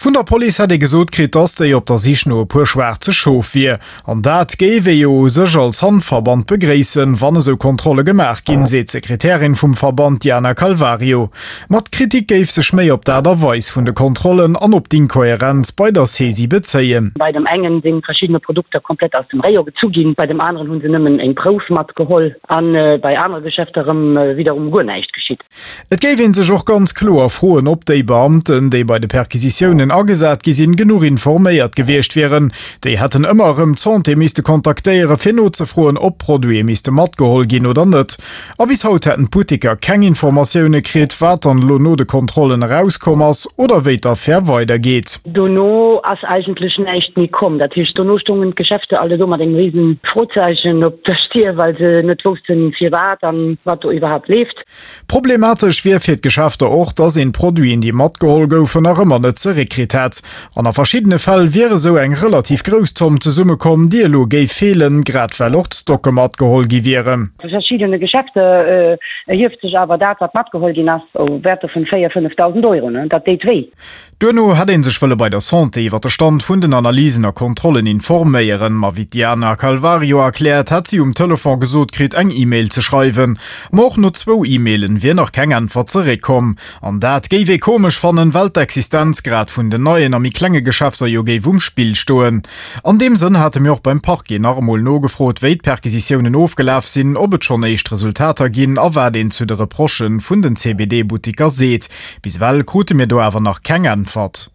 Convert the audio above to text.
Vun der Police hätt ee gesot kritt, dass déi op der Sich no e puer schwaarze Schof wier. An dat géif ee jo u sech als Hanfverband begréissen, wann esou Kontrolle gemaach ginn, seet d'Sekretärin vum Verband Diana Calvario. Ma d'Kritik géif sech méi op d'Aart a Weis vun de Kontrollen an op d'Inkohärenz bei der Saisie bezéien. Bei dem engen si verschiddene Produkter komplett aus dem Rayon gezu ginn, bei dem aneren hu se nëmmen eng Prouf matgeholl a bei anere Geschäfter erëm widderum guer näischt geschitt. Et géif ee sech och ganz kloer froen, ob déi Beamten, déi bei de Perquisitiounen agesat gi sinn, genuch informéiert gewiescht wieren. Déi hätten ëmmer erëm d'Santé misste kontaktéieren, fir nozefroen, ob Produite misste matgeholl ginn oder net. A bis haut hätten d'Butteker keng Informatioune kritt, wat dann elo no de Kontrollen erauskomm ass oder wéi d'Affär weidergeet. Dono ass eigentlech näischt méi komm. Dat heescht, dono stoungen d'Geschäfte alle do mat engem risen Frozeichen op der Stier, well se net woussten, firwat an wat do iwwerhaapt leeft. Problematesch wier fir d'Geschäfter och, dass een d'Produiten, déi matgeholl goufen, nach ëmmer net zeréckkritt hätt. An a verschiddene Fäll wier esou eng relativ grouss Zomm zesummekomm, déi elo géif feelen, grad well och d'Stocke matgeholl gi wieren. Vu verschiddene Geschäfter erhieft sech awer dat, wat matgeholl ginn ass, u Wäerter vun 4.000, 5.000 Euro. Dat deet wéi. Duerno hätt ee sech wëlle bei der Santé iwwer de Stand vun den Analysen a Kontrollen informéieren. Ma wéi d'Diana Calvario erkläert, hätt si um Telefon gesot kritt, eng E-Mail ze schreiwen. Ma och no zwou E-Mailen wier nach keng Äntwert zeréckkomm. An dat géif ee komesch fannen, well d'Existenz grad vun den neien a méi klenge Geschäfter jo géif um Spill stoen. An deem Sënn hate mir och beim Parquet nach emol nogefrot, wéi d'Perquisitiounen ofgelaf sinn, ob et schonn éischt Resultater ginn a wat een zu de Reprochë vun den CBD-Buttiker seet. Bis ewell krute mir do awer nach keng Äntwert.